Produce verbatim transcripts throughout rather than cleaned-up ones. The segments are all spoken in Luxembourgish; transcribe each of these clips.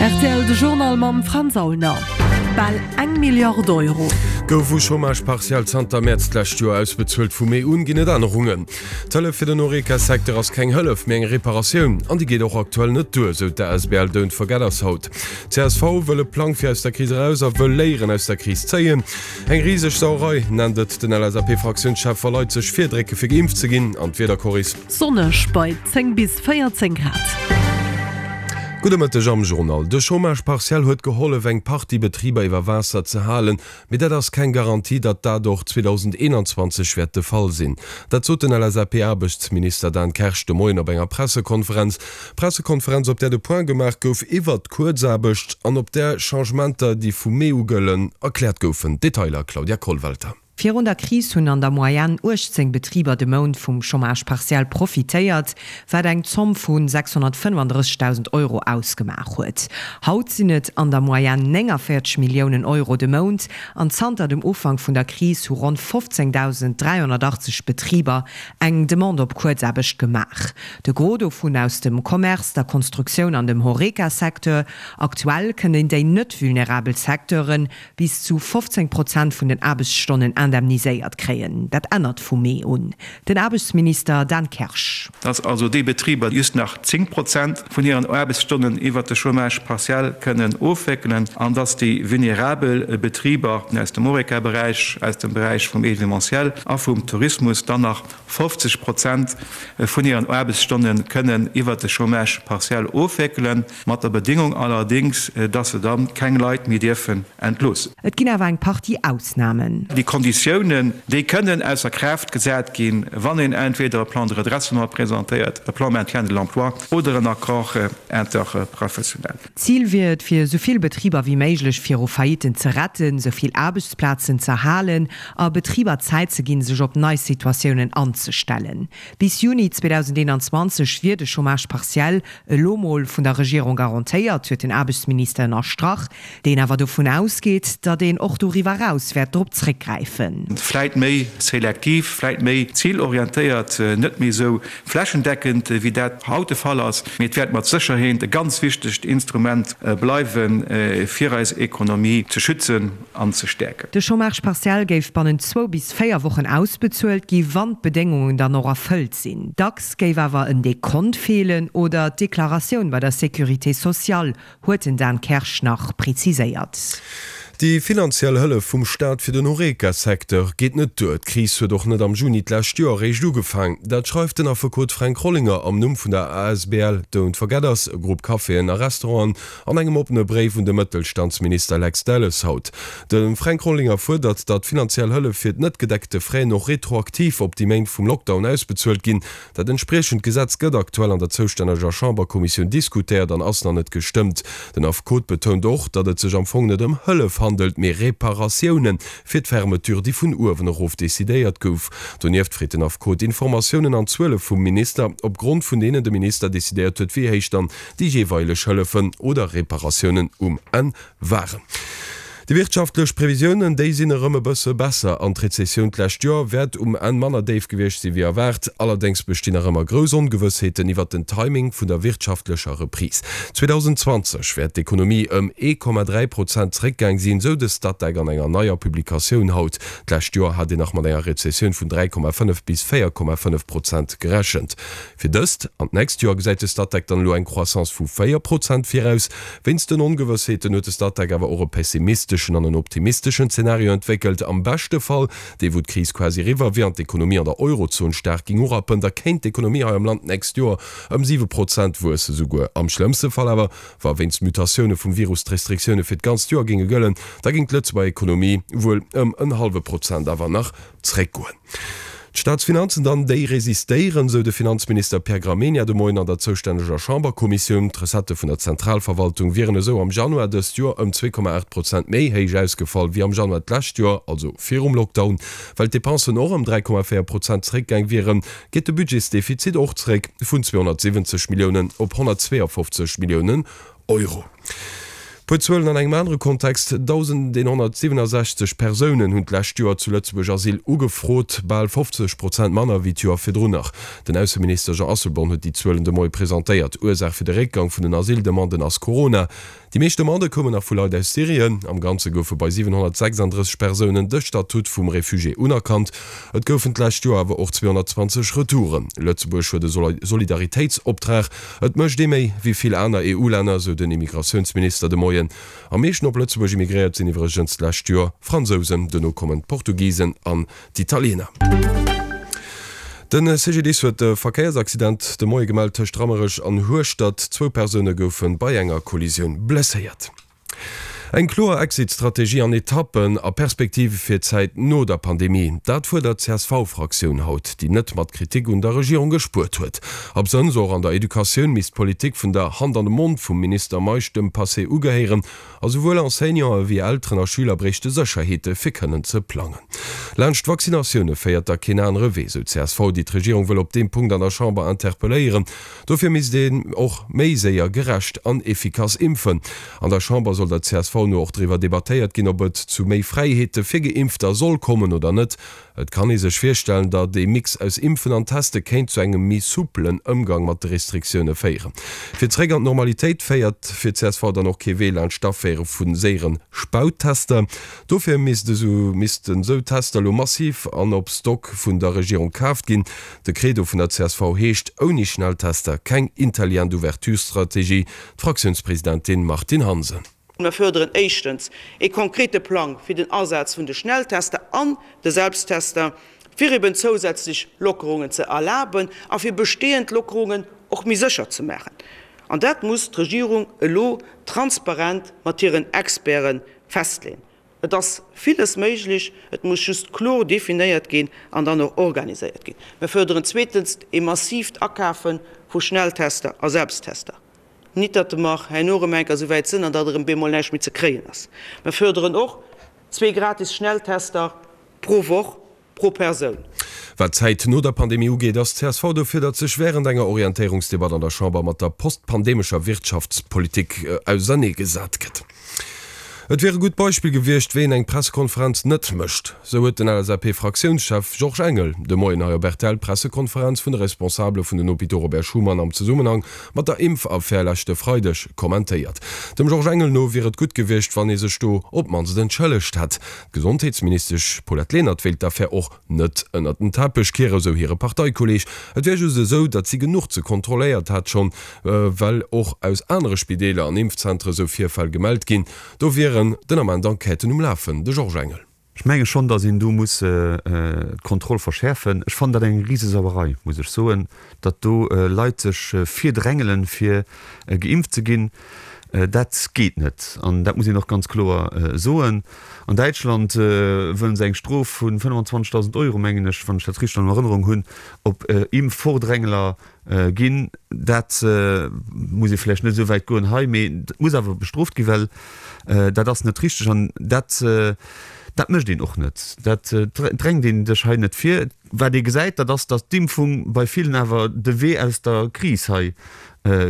Rtl de Journal mam Franz Aulner. Bal eng Milliard Euro. Gouf u Chômage partiel zanter Mäerz d'lescht Joer ausbezuelt. Vu Mee un ginn et Ännerungen. D'Hëllef fir den Horeca-Secteur ass keng Hëllef, mee eng Reparatioun. An déi geet och aktuell net duer, sou d'ASBL Don't Forget Us haut. Csv wëll e Plang fir aus der Kris eraus a wëll Léieren aus der Kris zéien. Eng riseg Sauerei nennt et den LSAP-Fraktiounschef, wa Leit sech virdrécke fir geimpft ze ginn. An d'Wieder, Coris? Sonneg bei zéng bis véierzéng Grad. Gudde Mëtteg am Journal. De Chômage partiel huet gehollef eng Partie Betriber iwwer Waasser ze halen, mee dat ass keng Garantie, datt dat och zweedausendeenanzwanzeg wäert de Fall sinn. Dat sot den LSAP-Aarbechtsminister Dan Kersch de Moien op enger Pressekonferenz. Pressekonferenz, op där de Point gemaach gouf iwwert d'Kuerzaarbecht an op där Changementer, déi vu Mee u gëllen, erkläert goufen. Detailer Claudia Kollwelter. Virun der Kris hunn an der Moyenne uechtzéng Betriber de Mount vum Chômage partiel profitéiert, wat eng Zomm vu sechshonnertfënnefandrëssegdausend Euro ausgemaach huet. Haut sinn et an der Moyenne néngavéierzeg Milliounen Euro de Mount an zanter dem Ufank vun der Kris hu ronn fofzéngdausend dräihonnertachtzeg Betriber eng Demande op Kuerzaarbecht gemaach. De Gros dovun aus dem Commerce, der Konstruktioun an dem Horeca-Secteur. Aktuell kënnen déi net vulnerabel Secteure bis zu fofzéng Prozent vun den Aarbechtsstonnen indemniséiert kréien. Dat ännert vu Mee un. Den Aarbechtsminister Dan Kersch. Dass also déi Betriber just nach zéng Prozent vun hiren Aarbechtsstonnen iwwert de Chômage partiel kënnen ofwéckelen an dass déi vulnerabel Betriber aus dem Horeca-Beräich, aus dem Beräich vum Événementiel a vum Tourismus dann nach fofzeg Prozent vun hiren Aarbechtsstonne kënnen iwwert de Chômage partiel ofwéckelen, mat der Bedingung allerdéngs, dass se da keng Leit méi dierfen entloossen. Et ginn awer eng Partie Ausnamen. Déi Konditiounen, déi kënnen ausser Kraaft gesat ginn, wann een entweder e Plan de redressement presentéiert, e Plan maintien de l'emploi oder en Accord interprofessionnel. D'Zil wier et, fir esou vill Betriber wéi méiglech viru Faillitten ze retten, esou vill Aarbechtsplazen z'erhalen a Betriber Zäit ze ginn, sech op nei Situatiounen anzestellen. Bis Juni zweedausendeenanzwanzeg wier de Chômage partiel elo mol vun der Regierung garantéiert, huet den Aarbechtsminister ënnerstrach, deen awer dovun ausgeet, datt een och doriwwer eraus wäert drop zréckgräifen. Vläit méi selektiv, vläit méi zilorientéiert, net méi esou flächendeckend, wéi dat haut de Fall ass, mee et wäert mat Sécherheet e ganz wichtegt Instrument bleiwen, fir eis Ekonomie ze schützen an ze stäerken. De Chômage partiel géif bannent zwou bis véier Wochen ausbezuelt gi wann d'Bedéngungen dann och erfëllt sinn. Dacks géif awer en Dekont feelen oder d'Deklaratioun bei der Sécurité sociale, huet den Dan Kersch nach preziséiert. Déi finanziell Hëllef vum Staat fir den Horeca-Secteur geet net duer. D'Kris huet och net am Juni d'lescht Joer eréischt ugefaang. Dat schreift den Affekot Fränk Rollinger am Numm vun der asbl Don't Forget Us, e Grupp Caféen a Restauranten, an engem oppene Bréif un de Mëttelstandsminister Lex Delles haut. De Fränk Rollinger fuerdert, datt finanziell Hëllef fir d'net gedeckte Fräen och retroaktiv op déi Méint vum Lockdown ausbezuelt ginn. Dat entspriechend Gesetz gëtt aktuell an der zoustänneger Chamberkommissioun diskutéiert an ass nach net gestëmmt. Den Affekot betount och, datt et sech am Fong net ëm Hëllef handelt, mee Reparatioune fir d'Fermeture, déi vun uewen erof decidéiert gouf. Donieft freet den Affekot Informatiounen an Zuele vum Minister, op Grond vun deenen de Minister decidéiert huet, wéi héich dann déi jeeweileg Hëllefen oder Reparatiounen um Enn waren. Déi wirtschaftlech Previsiounen, déi sinn erëm e bësse besser an d'Rezessioun d'lescht Joer wäert um Enn manner déif gewiescht sinn, wéi erwaart. Allerdéngs bestinn nach ëmmer grouss Ongewëssheeten iwwert den Timing vun der wirtschaftlecher Reprise. zweedausendzwanzeg wäert d'Ekonomie ëm ee Komma dräi Prozent zeréckgaang sinn, sou de Statec an enger neier Publikatioun haut. D'lescht Joer hat een nach mat enger Rezessioun vun dräi Komma fënnef bis véier Komma fënnef Prozent gerechent. Fir dëst an d'nächst Joer gesäit de Statec dann elo eng Croissance vu véier Prozent viraus. Wéinst den Ongewëssheeten huet de Statec awer och e pessimisteschen an en optimisteschen Zenario entwéckelt. Am beschte Fall, dee wou d'Kris quasi eriwwer wier an d'Ekonomie an der Eurozon staark géing urappen, da kéint d'Ekonomie hei am Land d'nächst Joer ëm siwe Prozent wuessen. Souguer am schlëmmste Fall awer, wa wéinst Mutatioune vum Virus d'Restriktioune fir d'ganzt Joer géinge gëllen, da géing d'Lëtzebuerger Ekonomie wuel ëm en hallwe Prozent awer nach zréckgoen. D'Staatsfinanzen dann, déi resistéieren, sou de Finanzminister Pierre Gramegna de Moien an der zoustänneger Chamberkommissioun. D'Recettë vun der Zentralverwaltung wieren esou am Januar dëst Joer ëm zwee Komma aacht Prozent méi héich ausgefall wéi am Januar d'lescht Joer, also virum Lockdown. Well d'Depensen och ëm dräi Komma véier Prozent zeréckgaang wieren, geet de Budgetsdefizit och zeréck vun zweehonnertsiwwenzeg Milliounen op honnertzweeafofzeg Milliounen Euro. Puer Zuelen an engem anere Kontext, dausendeenhonnertsiwwenundsechzeg Persounen hunn d'lescht Joer zu Lëtzebuerg Asyl ugefrot, bal fofzeg Prozent manner wéi d'Joer virdrun nach. Den Ausseminister Jean Asselborn huet déi Zuelen de Moie presentéiert. Ursaach fir de Réckgang vun den Asyldemanden ass Corona. Déi meescht Demandë koumen nach vu Leit aus Syrien. Am Ganze goufe bei siwenhonnertsechsanddrësseg Persounen de Statut vum Refugié unerkannt. Et goufen d'lescht Joer awer och zweehonnertzwanzeg Retouren. Lëtzebuerg huet e Solidaritéitsoptrag. Et mécht ee méi wéi vill aner E U-Länner, sou den Immigratiounsminister de Moien. Am meeschten op Lëtzebuerg immigréiert sinn iwwregens d'lescht Joer Fransousen, duerno kommen d'Portugisen an d'Italiener. De C G D I S huet e Verkéiersaccident de Moie gemellt tëscht Rammerech an Hueschtert. Zwou Persoune goufe bei enger Kollisioun blesséiert. Eng kloer Exit-Strategie an Etappen a Perspektive fir d'Zäit no der Pandemie, dat fuerdert d'C S V-Fraktioun haut, déi net mat Kritik un der Regierung gespuert huet. Absënns och an der Educatioun misst d'Politik vun der Hand an de Mond vum Minister Meisch dem Passé ugehéieren a souwuel Enseignanten ewéi Elteren a Schüler bréichte Sécherheete fir kënnen ze plangen. Laanscht d'Vaccinatioune féiert da keen anere Wee, sou d'C S V, déi d'Regierung wëll op deem Punkt an der Chamber interpelléieren. Dofir misst een och méi séier, gerecht an efficace impfen. An der Chamber soll der C S V no och driwwer debattéiert ginn, ob et zu méi Fräiheete fir Geimpfter soll kommen oder net. Et kann ee sech virstellen, datt ee Mix aus Impfen an Teste kéint zu engem méi souplen Ëmgang mat de Restriktioune féieren. Fir zeréck an d'Normalitéit féiert fir d'C S V dann och kee Wee laanscht d'Aféiere vu séiere Spauttester. Dofir missten esou Tester elo massiv an op Stock vun der Regierung kaaft ginn. De Credo vun der C S V heescht, Ouni Schnelltester keng intelligent Ouverture-Strategie. D'Fraktiounspresidentin Martine Hansen. Mir fuerderen éischtens e konkrete Plang fir den Asaz vun de Schnelltester an de Selbsttester, fir eben zousätzlech Lockerungen ze erlaben a fir bestehend Lockerungen och méi sécher ze maachen. An dat muss d'Regierung elo transparent mat hiren Experte festleeën. Et ass villes méiglech, et muss just kloer definéiert ginn an dann och organiséiert ginn. Mir fuerderen zweetens e massiivt Akafe vu Schnelltester a Selbsttester. Nit datt mer herno erëm eng Kéier esou wäit sinn an datt erëm bemol näischt méi ze kréien ass. Mir fuerderen och zwee gratis Schnelltester pro Woch pro Persoun. Wat d'Zäit no der Pandemie ugeet, ass d'C S V dofir, datt sech wärend enger Orientéierungsdebatt an der Chamber mat der postpandemescher Wirtschaftspolitik auserneegesat gëtt. Et wier e gutt Beispill gewiescht, wéi een eng Pressekonferenz net mécht, sou huet den L S A P-Fraktiounschef Georges Engel de Moien hei op R T L d'Pressekonferenz vun de Responsabele vun den Hôpitaux Robert Schuman am Zesummenhang mat der Impfaffär leschte Freideg kommentéiert. Dem Georges Engel no wier et gutt gewiescht, wann ee sech do op d'mannst entschëllegt hätt. D'Gesondheetsministesch Paulette Lenert wéilt d'Affär och net ënnert den Teppech kieren, sou hire Parteikolleeg. Et wier just esou, datt si genuch ze kontrolléiert hätt schonn, well och aus anere Spideeler an Impfzentere sou Virfäll gemellt ginn. Do wieren den Ament Enquêten um Lafen, de Georges Engel. Ech menge schonn, datt een do muss d'Kontroll verschäerfen. Ech fannen dat eng Risesauerei, muss ech soen, datt do Leit sech virdrängelen, fir geimpft ze ginn. Dat geet net an dat muss een och ganz kloer soen. An Däitschland wëllen se eng Strof vu fënnefenzwanzegdausend Euro, mengen ech, wann ech dat richteg an Erënnerung hunn, op Impfvordrängeler ginn. Dat muss ee vläicht net esou wäit goen hei, mee dat muss awer bestrooft ginn, well dat ass net richteg an dat dat mécht een och net. Dat drängt een sech hei net vir. Wat ee gesäit, dat ass, datt d'Impfung bei villen awer de Wee aus der Kris hei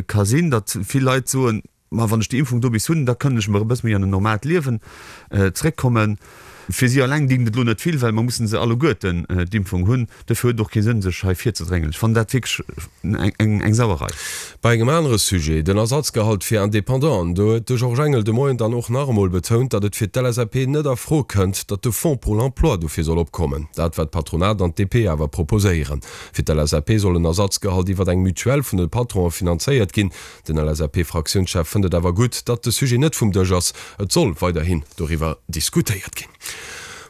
ka sinn, datt vill Leit soen, Ma wann ech déi Impfung do bis hunn, da kënnen ech erëm e bësse méi an en normaalt Liewen zréckkommen. Fir si alleng dingt et elo net vill, well mer mussen se alleguerten d'Impfung hunn. Dofir huet et och kee Sënn, sech hei virzedrängeln. Ech fannen dat wierklech eng Sauerei. Bei engem anere Sujet, den Ersatzgehalt fir Independanten, do huet de Georges Engel de Moien dann och nach emol betount, datt et fir d'L S A P net a Fro kënnt, datt de Fonds pour l'emploi dofir soll opkommen. Dat wat d'Patronat an d'D P awer proposéieren. Fir d'L S A P soll en Ersatzgehalt iwwer eng Mutuelle vun de Patronen finanzéiert ginn. Den L S A P-Fraktiounschef fënnt et awer gutt, datt de Sujet net vum Dësch ass. Et soll weiderhin doriwwer diskutéiert ginn.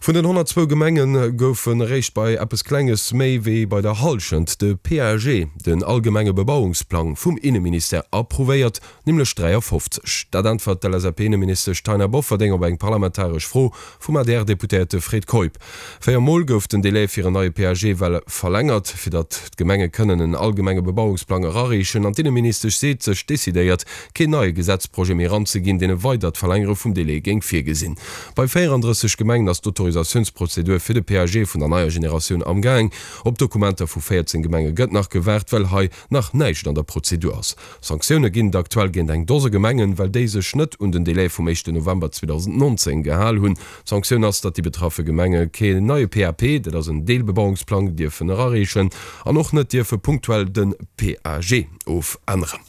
Vun den honnertzwou Gemenge goufen eréischt bei eppes Klenges méi wéi bei der Hallschent de P A G, den allgemenge Bebauungsplang vum Inneministère, approuvéiert, nämlech dräiafofzeg. Dat äntwert d'L S A P-Inneministesch Taina Bofferding op eng parlamentaresch Fro vum A D R-Deputéierte Fred Keup. Véier Mol gouf den Delai fir en neie P A G well verlängert, fir datt d'Gemenge kënnen en allgemenge Bebauungsplang erareechen. An d'Inneministesch seet sech decidéiert, keen neie Gesetzprojet méi eranzeginn, deen e weidert Verlängere vum Delai géing virgesinn. Bei véierandrësseg Gemengen ass d'Autorisatioun d'Autorisatiounsprozedur fir de P A G vun der neier Generatioun amgaang. Op Dokumenter vu véierzéng Gemenge gëtt nach gewaart, well hei nach näischt an der Prozedur ass. Sanktioune ginn et aktuell géint eng Dose Gemengen, well déi sech net un den Delai vum éischten November zweedausendnonzéng gehal hunn. D'Sanktioun ass, datt déi betraffe Gemenge keen neie P A P, dat ass en Deelbebauungsplang, dierfen erareechen an och net dierfe punktuell de P A G ofänneren.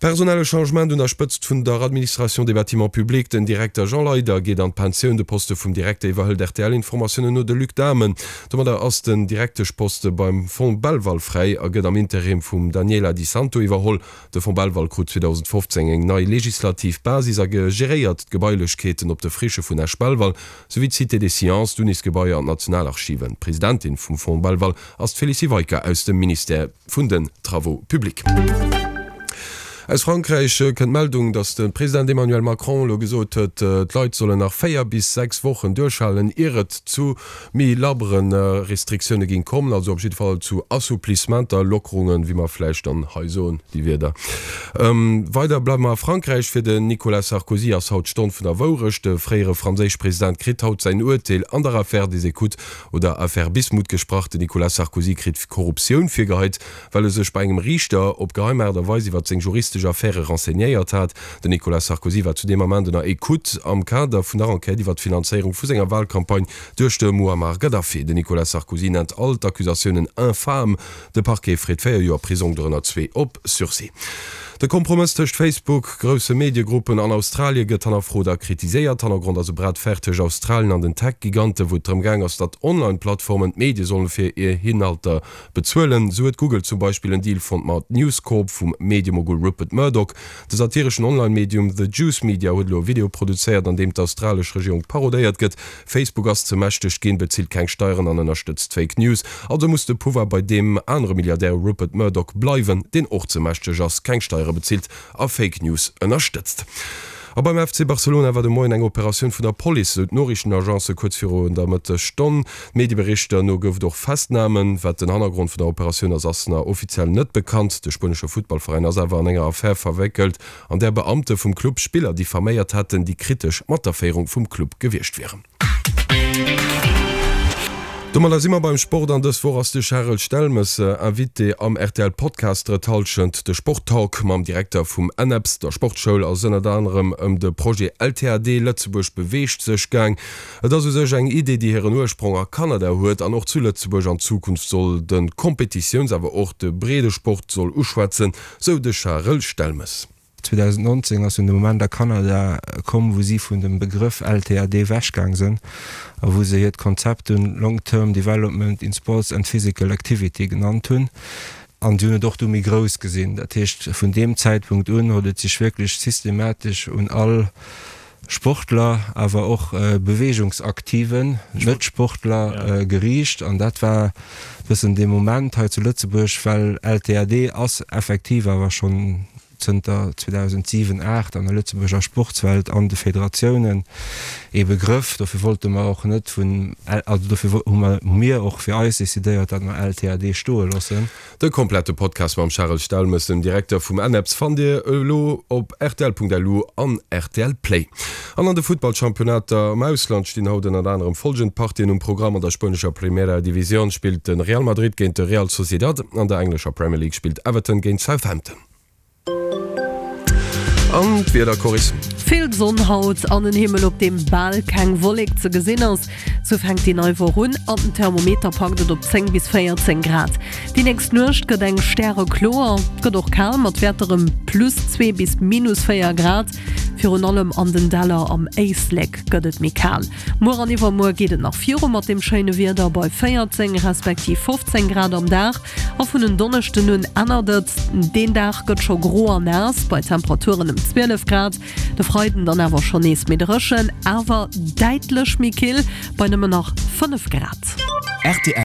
Personelle Changement un der Spëtzt vun der Administration des bâtiments publics, Den Direkter Jean Leyder geet an d'Pensioun, de Poste vum Direkter iwwerhëlt R T L-Informatiounen no de Luc Dahmen. Domadder ass den Direkteschposte beim Fonds Belval fräi a gëtt am Interim vum Daniela Di Santo iwwerholl. De Fonds Belval krut zweedausendfofzéng eng nei legislativ Basis a geréiert d'Gebailechkeeten op de Frichë vun Esch-Belval, souwéi d'Cité des Sciences, d'Unisgebaier an d'Nationalarchiven. D'Presidentin vum Fonds Belval ass d'Félicie Weicker aus dem Ministère vun den Travaux publics. Aus Frankräich kënnt d'Meldung, datt de President Emmanuel Macron elo gesot huet, d'Leit sollen nach véier bis sechs Wochen duerchhalen, ier et zu méi labbere Restriktioune géing kommen, also op jidde Fall zu Assouplissementer, Lockerungen, wéi mer vläicht dann hei soen, déi Wierder. Weider bleiwe mer a Frankräich. Fir den Nicolas Sarkozy ass haut d'Stonn vun der Wourecht. De fréiere franséisch President kritt haut säin Urteel an der Affaire des écoutes oder Affaire Bismuth gesprach. Den Nicolas Sarkozy kritt Korruptioun virgeheit, well e sech bei engem Riichter op geheim Aart a Weis iwwer seng juristesch Affäre renseignéiert hat. Den Nicolas Sarkozy war zu deem Ament ënner Ecoute am Kader vun der Enquête iwwer d'Finanzéierung vu senger Walcampagne duerch de Muammar Gaddafi. Den Nicolas Sarkozy nennt all d'Accusatiounen infam. De Parquet freet véier Joer Prisong, dorënner zwee op Sursis. De Kompromëss tëscht Facebook, grousse Mediegruppen an Australie gëtt hannerfrot a kritiséiert. Hannergrond ass e Bras de fer tëscht Australien an den Tech-Gigante, wou et drëm gaang ass, datt Online-Plattformen d'Medie solle fir hir Inhalter bezuelen. Sou huet Google zum Beispill en Deal fonnt mat News Corp vum Mediemogul Rupert Murdoch. De satireschen Online-Medium The Juice Media huet elo e Video produzéiert, an deem d'australesch Regierung parodéiert gëtt. Facebook ass ze mächteg ginn, bezilt keng Steieren an ënnerstëtzt Fake News. Also muss de Pouvoir bei deem anere Milliardär Rupert Murdoch bleiwen, deen och ze mächteg ass, keng Steiere bezilt a Fake News ënnerstëtzt. A beim F C Barcelona war de Moien eng Operatioun vun der Police, esou d'Noriichtenagence kuerz virun der Mëttesstonn. Medieberichter no gouf et och Festnamen. Wat den Hannergrond vun der Operatioun ass, ass nach offiziell net bekannt. De spuenesche Futtballveräin ass awer an enger Affär verwéckelt, an där Beamte vum Club Spiller diffaméiert hätten, déi kritesch mat der Féierung vum Club gewiescht wieren. Domadder si mer beim Sport an dës Woch ass de Charel Stelmes Invité am R T L Podcast Drëtt Hallschent. De Sport-Talk mam Direkter vum ENEPS, der Sportschoul, ass ënnert anerem ëm de Projet L T A D, Lëtzebuerg beweegt sech, gaang. Et ass u sech eng Idee, déi hiren Ursprong a Kanada huet an och zu Lëtzebuerg an Zukunft soll de Kompetitiouns-, awer och de Breedesport soll uschwätzen, sou de Charel Stelmes. zweedausendnonzéng ass dunn de Moment a Kanada komm, wou si vun dem Begrëff L T A D ewechgaang sinn a wou se hiert Konzept dunn Long Term Development in Sports and Physical Activity genannt hunn. An si hunn et och du méi grouss gesinn. Dat heescht, vun deem Zäitpunkt un huet et sech wierklech systematesch un all Sportler, awer och Beweegungsaktiven, Net-Sportler geriicht. An dat war e bëssen dee Moment hei zu Lëtzebuerg, well L T A D ass effektiv awer schonn zënter zweedausentsiwen, aacht an der Lëtzebuerger Sportswelt an de Federatiounen ee Begrëff. Dofir wollte mer och net vun, also dofir hu mer, hu mir och fir eis decidéiert, datt mer L T A D stoe loossen. De komplette Podcast mam Charel Stelmes, dem Direkter vum ENEPS, fannt Dir elo op rtl Punkt L U an R T L Play. An an de Futtballchampionnater am Ausland stinn haut ënnert anerem follgend Partien um Programm, An der spuenescher Primera División spillt de Real Madrid géint de Real Sociedad, an der englescher Premier League spillt Everton géint Southampton. An d'Wieder, Coris. Vill Sonn haut an en Himmel op deem bal keng Wollek ze gesinn ass. Sou fänkt déi nei Woch un an den Thermometer packt et op zéng bis véierzéng Grad. Déi nächst Nuecht gëtt eng stärekloer, et gëtt och kal mat Wäerter ëm plus zwee bis minus véier Grad. Virun allem an den Däller am Éislek gëtt et méi kal. Muer an iwwermuer geet et nach viru mat dem schéine Wieder bei véierzéng respektiv fofzéng Grad am Dag. A vun en Donneschden un ännert et, deen Dag gëtt scho gro an naass bei Temperaturen ëm zwielef Grad. De Freiden dann awer schonn nees méi dréchen, awer däitlech méi kill bei nëmmen nach fënnef Grad. Rtl.